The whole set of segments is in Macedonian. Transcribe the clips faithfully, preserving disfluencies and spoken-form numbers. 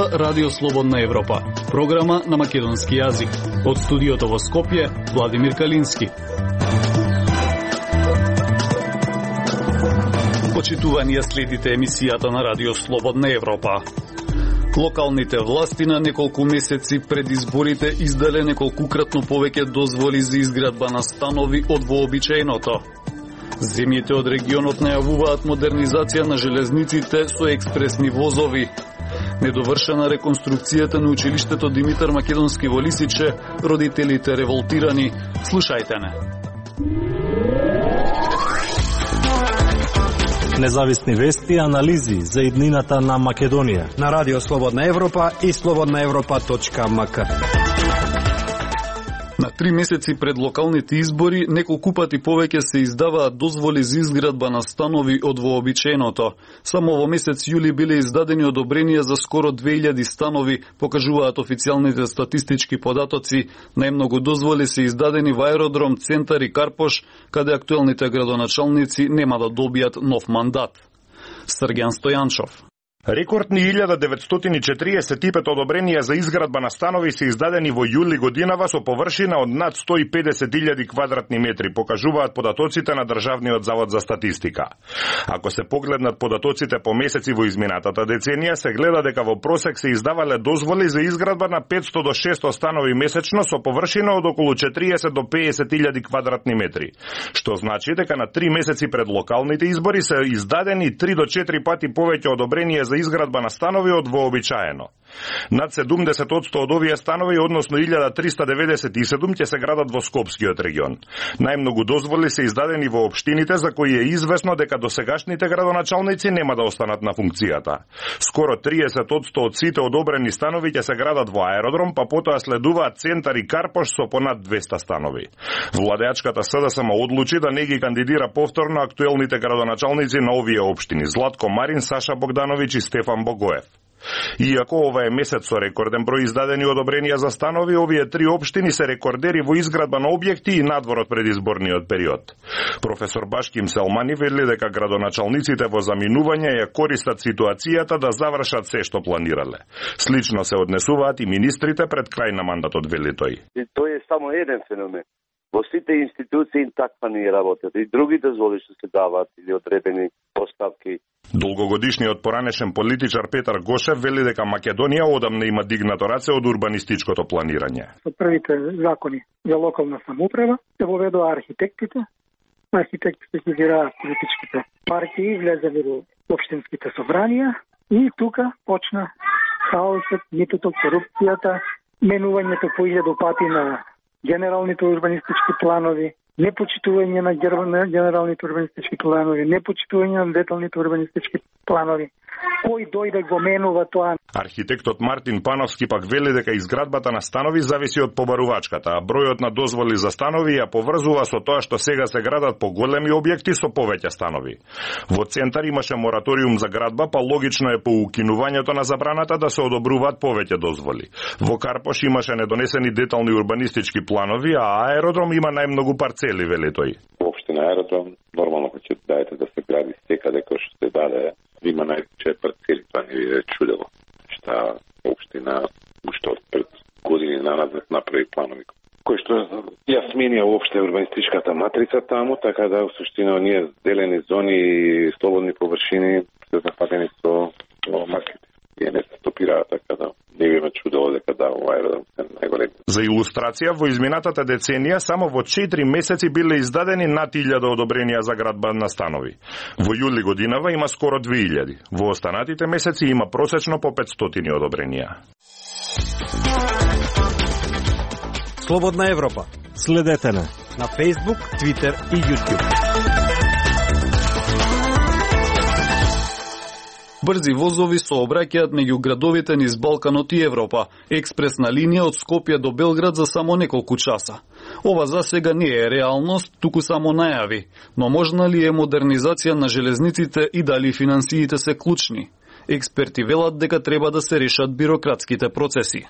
слуша Радио Слободна Европа, програма на македонски јазик. Од студиото во Скопје, Владимир Калински. Почитувани, следите емисијата на Радио Слободна Европа. Локалните власти на неколку месеци пред изборите издале неколкукратно повеќе дозволи за изградба на станови од вообичаеното. Земјите од регионот најавуваат модернизација на железниците со експресни возови. Недовршена реконструкцијата на училиштето Димитар Македонски во Лисиче, родителите револтирани. Слушајте не. Независни вести и анализи за иднината на Македонија на Радио Слободна Европа и слободна европа точка ем ка. На три месеци пред локалните избори, неколку пати повеќе се издаваат дозволи за изградба на станови од вообичаеното. Само во месец јули биле издадени одобренија за скоро две илјади станови, покажуваат официјалните статистички податоци. Најмногу дозволи се издадени во аеродром, Центар и Карпош, каде актуелните градоначалници нема да добијат нов мандат. Срѓан Стојанчов. Рекордни илјада деветстотини и четириесет и пет одобренија за изградба на станови се издадени во јули годинава со површина од над сто и педесет илјади квадратни метри, покажуваат податоците на Државниот завод за статистика. Ако се погледнат податоците по месеци во изминатата деценија, се гледа дека во просек се издавале дозволи за изградба на петсто до шестсто станови месечно со површина од околу четириесет до педесет илјади квадратни метри, што значи дека на три месеци пред локалните избори се издадени три до четири пати повеќе одобренија за изградба на станови од вообичаено. Над седумдесет одсто од овие станови, односно илјада триста деветдесет и седум, ќе се градат во Скопскиот регион. Најмногу дозволи се издадени во општините за кои е известно дека досегашните градоначалници нема да останат на функцијата. Скоро триесет одсто од сите одобрени станови ќе се градат во аеродром, па потоа следуваат Центар и Карпош со понад двеста станови. Владеачката СДСМ одлучи да не ги кандидира повторно актуелните градоначалници на овие општини: Златко Марин, Саша Богдановиќ и Стефан Богоев. Иако ова е месец со рекорден број издадени одобренија за станови, овие три општини се рекордери во изградба на објекти и надвор од предизборниот период. Професор Башким Селмани вели дека градоначалниците во заминување ја користат ситуацијата да завршат се што планирале. Слично се однесуваат и министрите пред крај на мандатот, вели тој. Тој е само еден феномен. Во сите институции таква не работат. И други дозволи што се даваат или одредени поставки. Долгогодишниот поранешен политичар Петар Гошев вели дека Македонија одамна има дигнато раце од урбанистичкото планирање. Со првите закони за локална самоуправа се воведоа архитектите. Архитектите ги гираат политичките партии, влезали во општинските собранија и тука почна хаосот, митото, корупцијата, менувањето по илјаду пати на генералните урбанистички планови, непочитување на генералните урбанистички планови, непочитување на деталните урбанистички планови. Кој дојде го менува тоа? Архитектот Мартин Пановски пак вели дека изградбата на станови зависи од побарувачката, а бројот на дозволи за станови ја поврзува со тоа што сега се градат поголеми објекти со повеќе станови. Во Центар имаше мораториум за градба, па логично е по укинувањето на забраната да се одобруваат повеќе дозволи. Во Карпош имаше недонесени детални урбанистички планови, а аеродром има најмногу парцели, вели тој. Општина аеродром нормално ќе даде да се гради секаде кој што се даде. Има најче парцели, тоа не ви е чудево. Шта општина уште од пред години наназад направи планови кои што ја сменија уопште урбанистичката матрица таму, така да во суштина оние зелени зони и слободни површини се зафатени со маркети. И не се стопираат, така да не би ме чудело дека да во аеродром се најголеми. За илустрација, во изминатата деценија само во четири месеци биле издадени над илјада одобренија за градба на станови. Во јули годинава има скоро две илјади. Во останатите месеци има просечно по петстотини одобренија. Слободна Европа. Следете на на Facebook, Twitter и YouTube. Брзи возови сообраќаат меѓу градовите низ Балканот и Европа. Експресна линија од Скопје до Белград за само неколку часа. Ова засега не е реалност, туку само најави. Но можна ли е модернизација на железниците и дали финансиите се клучни? Експерти велат дека треба да се решат бирократските процеси.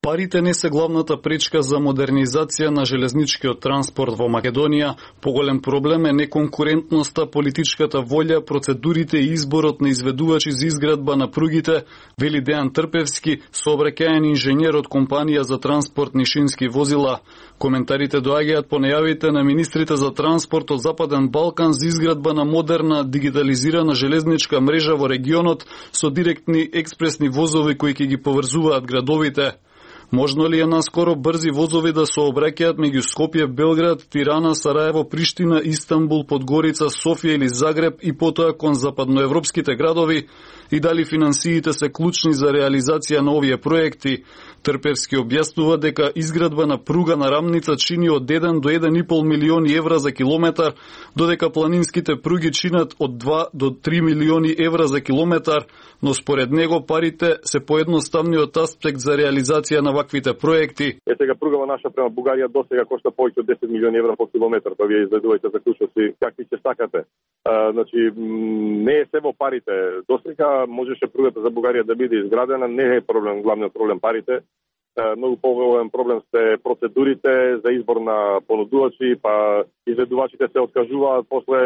Парите не се главната пречка за модернизација на железничкиот транспорт во Македонија. Поголем проблем е неконкурентноста, политичката волја, процедурите и изборот на изведувачи за изградба на пругите, вели Дејан Трпевски, сообраќајен инженер од компанија за транспортни шински возила. Коментарите доаѓаат по најавите на министрите за транспорт од Западен Балкан за изградба на модерна, дигитализирана железничка мрежа во регионот со директни експресни возови кои ќе ги поврзуваат градовите. Можно ли е наскоро брзи возови да сообраќаат меѓу Скопје, Белград, Тирана, Сараево, Приштина, Истанбул, Подгорица, Софија или Загреб и потоа кон западноевропските градови? И дали финансиите се клучни за реализација на овие проекти? Трпевски објаснува дека изградба на пруга на рамница чини од еден до еден и пол милиони евра за километар, додека планинските пруги чинат од два до три милиони евра за километар, но според него парите се поедноставниот аспект за реализација на ваквите проекти. Е сега пругава наша према Бугарија досега кошта повеќе од десет милиони евра по километар, па вие изведувајте заклучоци какви ќе сакате. А, значи не е се во парите. Досега можеше пругата за Бугарија да биде изградена, не е проблем, главниот проблем парите. Многу поголем проблем се процедурите за избор на понудувачи, па изведувачите се откажуваат, после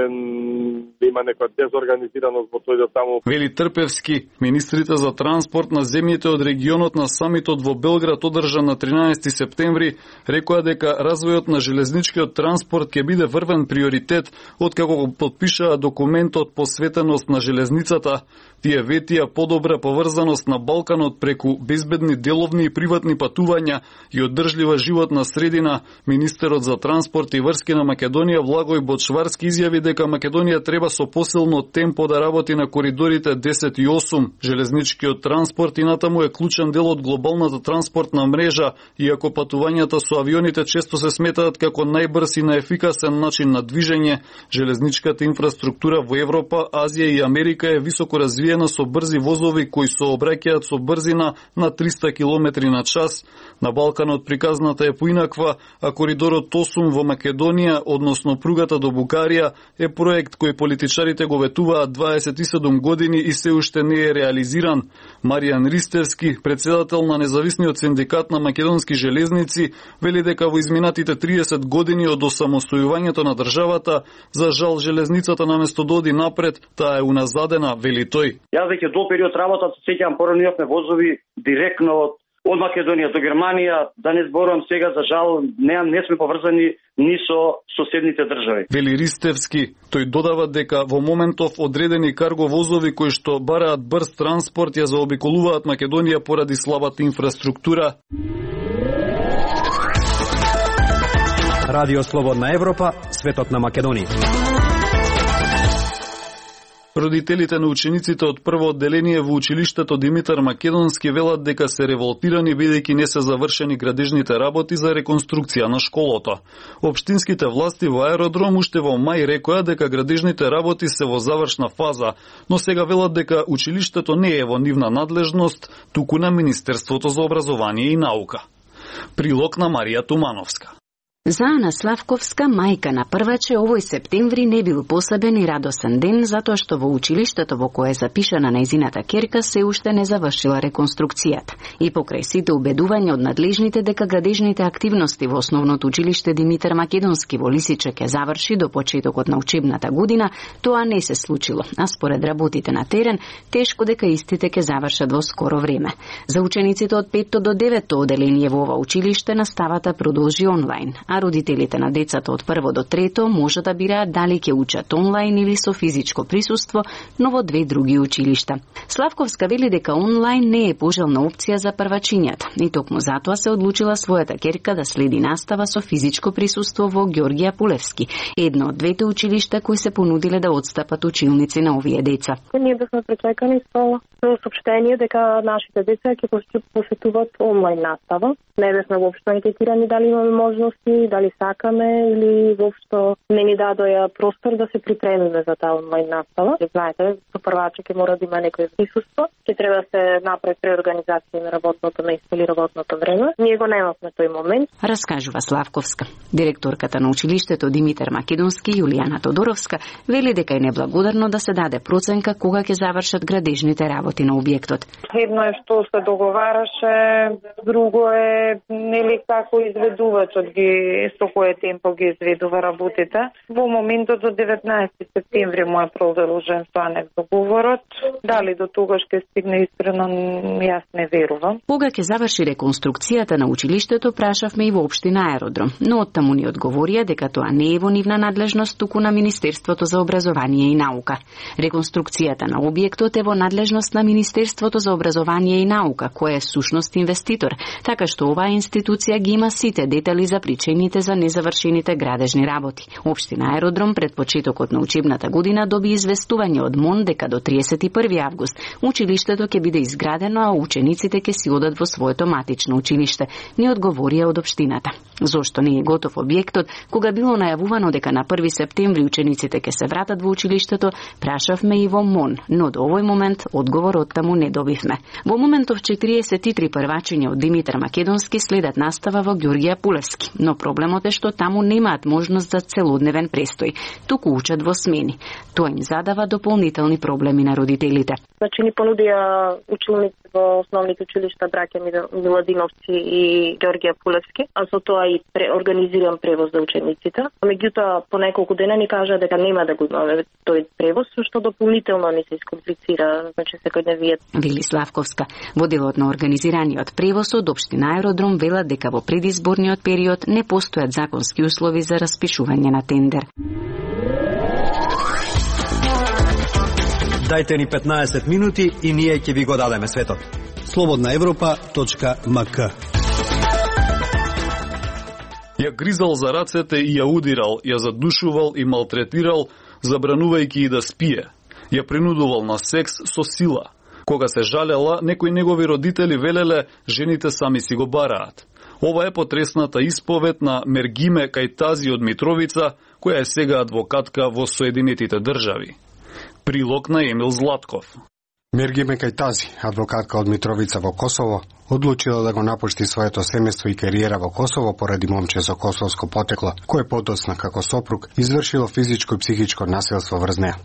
има некоја дезорганизираност во тој таму. Вели Трпевски, министрите за транспорт на земјите од регионот на самитот во Белград одржан на тринаесети септември рекоа дека развојот на железничкиот транспорт ќе биде врвен приоритет откако го потпишаа документот посветеност на железницата. Тие ветија подобра поврзаност на Балканот преку безбедни деловни и приватни патувања и одржлива животна средина. Министерот за транспорт и врски на Македонија Влагој Бочварски изјави дека Македонија треба со посилно темпо да работи на коридорите десет и осум. Железничкиот транспорт инатаму е клучен дел од глобалната транспортна мрежа, иако патувањата со авионите често се сметаат како најбрз и наефикасен начин на движење. Железничката инфраструктура во Европа, Азија и Америка е високо развиена со брзи возови кои сообраќаат со брзина на триста километри на час. На Балканот приказната е поинаква, а коридорот осум во Македонија, односно пругата до Бугарија, е проект кој политичарите го ветуваат дваесет и седум години и се уште не е реализиран. Маријан Ристевски, председател на независниот синдикат на македонски железници, вели дека во изминатите триесет години од осамостојувањето на државата, за жал железницата наместо да оди напред, таа е уназадена, вели тој. Јас веќе до период работа се сеќавам, порано имавме возови директно од од Македонија до Германија, да не зборувам сега, за жал, не, не сме поврзани ни со соседните држави. Вели Ристевски, тој додава дека во моментов одредени карго возови кои што бараат брз транспорт ја заобиколуваат Македонија поради слабата инфраструктура. Радио Слободна Европа, светот на Македонија. Родителите на учениците од прво одделение во училиштето Димитар Македонски велат дека се револтирани бидејќи не се завршени градежните работи за реконструкција на школото. Општинските власти во аеродром уште во мај рекоа дека градежните работи се во завршна фаза, но сега велат дека училиштето не е во нивна надлежност, туку на Министерството за образование и наука. Прилог на Марија Тумановска. За Ана Славковска, мајка на прваче, овој септември не бил посебен и радосен ден, затоа што во училиштето во кое е запишана нејзината ќерка се уште не завршила реконструкцијата. И покрај сите убедувања од надлежните дека градежните активности во основното училиште Димитар Македонски во Лисиче ќе заврши до почетокот на учебната година, тоа не се случило, а според работите на терен, тешко дека истите ќе завршат во скоро време. За учениците од петто до деветто оделение во ова училиште наставата продолжи онлайн, а родителите на децата од прво до трето може да бираат дали ќе учат онлайн или со физичко присуство, но во две други училишта. Славковска вели дека онлайн не е пожелна опција за првачињата и токму затоа се одлучила својата ќерка да следи настава со физичко присуство во Ѓорѓија Пулевски, едно од двете училишта кои се понудиле да отстапат училници на овие деца. Ние бевме пречекани со соопштение дека нашите деца ќе посетуваат онлайн настава. Не бевме воопшто анкетирани дали имаме можности, дали сакаме или воопшто не ни дадоа простор да се припремиме за таа онлайн настава. Знаете, со прваче ќе мора да има некој присуство, ќе треба да се направи преорганизација на работното место или работното време. Ние го немавме тој момент. Раскажува Славковска. Директорката на училиштето Димитар Македонски, Јулијана Тодоровска, вели дека е неблагодарно да се даде проценка кога ќе завршат градежните работи работи на објектот. Едно е што се договараше, друго е нели како изведувачот ги со кое темпо ги изведува работите. Во моментот до деветнаесети септември му е продолжен со анекс договорот. Дали до тогаш ќе стигне, искрено јас не верувам. Кога ќе заврши реконструкцијата на училиштето, прашавме и во општина Аеродром, но оттаму ни одговорија дека тоа не е во нивна надлежност, туку на Министерството за образование и наука. Реконструкцијата на објектот е во надлежност на Министерството за образование и наука, кој е сушност инвеститор, така што оваа институција ги има сите детали за причините за незавршените градежни работи. Општина Аеродром пред почетокот на учебната година доби известување од МОН дека до триесет и први август училиштето ќе биде изградено, а учениците ќе си одат во своето матично училиште, ни одговорија од општината. Зошто не е готов објектот, кога било најавувано дека на први септември учениците ќе се вратат во училиштето, прашавме и во МОН, но до овој момент одговор од таму не добивме. Во моментов четириесет и три првачиња од Димитар Македонски следат настава во Ѓорѓија Пулевски, но проблемот е што таму немаат можност за целодневен престој, туку учат во смени. Тоа им задава дополнителни проблеми на родителите. Значи ни понудија училници во основните училишта Браќа Миладиновци и Ѓорѓија Пулевски, а со тоа и организиран превоз за учениците. Меѓутоа, по неколку дена ни кажа дека нема да го имаме тој превоз, што дополнително ни се искомплицира, значи секојдневиот. Вели Славковска. Во делот на организираниот превоз од општина Аеродром велат дека во предизборниот период не постојат законски услови за распишување на тендер. Дајте ни петнаесет минути и ние ќе ви го дадеме светот. слободна европа точка ем ка. Ја гризал за рацете и ја удирал, ја задушувал и малтретирал, забранувајќи и да спие. Ја принудувал на секс со сила. Кога се жалела, некои негови родители велеле жените сами си го бараат. Ова е потресната исповед на Мергиме Кајтази од Митровица, која е сега адвокатка во Соединетите држави. Прилог на Емил Златков. Мергиме Кајтази, адвокатка од Митровица во Косово, одлучила да го напушти своето семејство и кариера во Косово поради момче со косовско потекло, кој подоцна како сопруг извршило физичко и психичко насилство врз неа.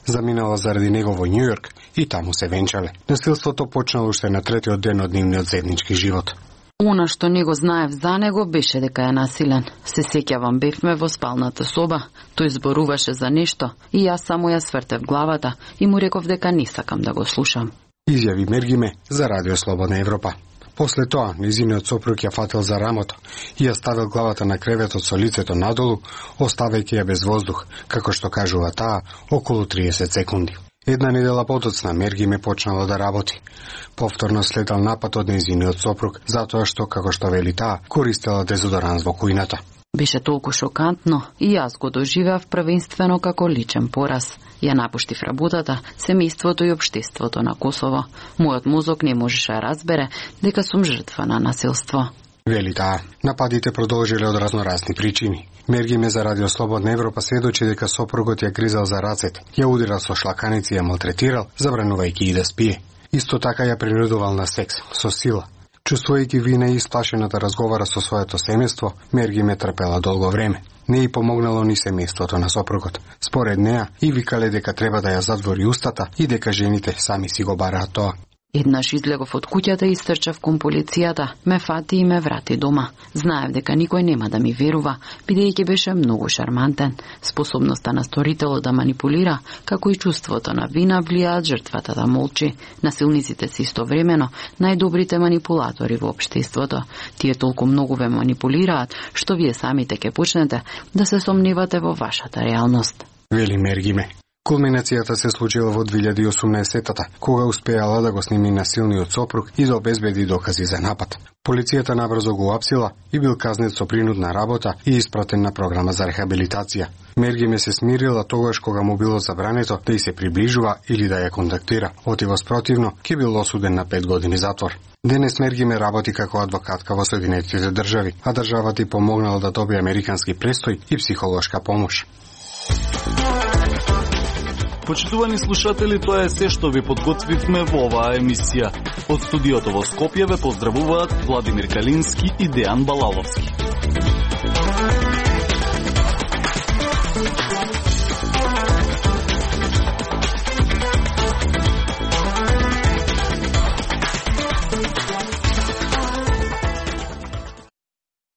Заминала заради него во Њујорк и таму се венчале. Насилството почнало уште на третиот ден од нивниот заеднички живот. Она што не го знаев за него беше дека е насилен. Се сеќавам, бевме во спалната соба, тој зборуваше за нешто и јас само ја свртев главата и му реков дека не сакам да го слушам. Изјави Мергиме за Радио Слободна Европа. После тоа, низиниот сопруг ја фатил за рамото и ја ставил главата на креветот со лицето надолу, оставајќи ја без воздух, како што кажува таа, околу триесет секунди. Една недела подоцна Мергиме почнала да работи. Повторно следал напад од незиниот сопруг, затоа што, како што вели таа, користела дезодоранс во кујната. Беше толку шокантно и јас го доживеав првенствено како личен пораз. Ја напуштив работата, семејството и општеството на Косово. Мојот мозок не можеше да разбере дека сум жртва на насилство. Вели таа, нападите продолжиле од разноразни причини. Мергиме за Радио Слободна Европа сведочи дека сопругот ја гризал за рацете, ја удирал со шлаканици и ја малтретирал, забранувајќи и да спие. Исто така ја принудувал на секс, со сила. Чувствувајќи вина и исплашена да разговара со своето семејство, Мергиме трпела долго време. Не и помогнало ни семејството на сопругот. Според неа, и викале дека треба да ја затвори устата и дека жените сами си го бараат тоа. Еднаш излегов од куќата и стрчав кон полицијата, ме фати и ме врати дома. Знаев дека никој нема да ми верува, бидејќи беше многу шармантен. Способноста на сторителот да манипулира, како и чувството на вина влијаат жртвата да молчи. Насилниците се истовремено најдобрите манипулатори во општеството. Тие толку многу ве манипулираат, што вие самите ќе почнете да се сомневате во вашата реалност. Вели Мергиме. Кулминацијата се случила во две илјади и осумнаесетта, кога успеала да го сними насилниот сопруг и да обезбеди докази за напад. Полицијата набрзо го апсила и бил казнет со принудна работа и испратен на програма за рехабилитација. Мергиме се смирила тогаш кога му било забрането да и се приближува или да ја контактира. Отивоспротивно, ќе бил осуден на пет години затвор. Денес Мергиме работи како адвокатка во Соединетите држави, а државата и помогнала да добие американски престој и психолошка помош. Почитувани слушатели, тоа е се што ви подготвивме во оваа емисија. Од студиото во Скопје ве поздравуваат Владимир Калински и Дејан Балаловски.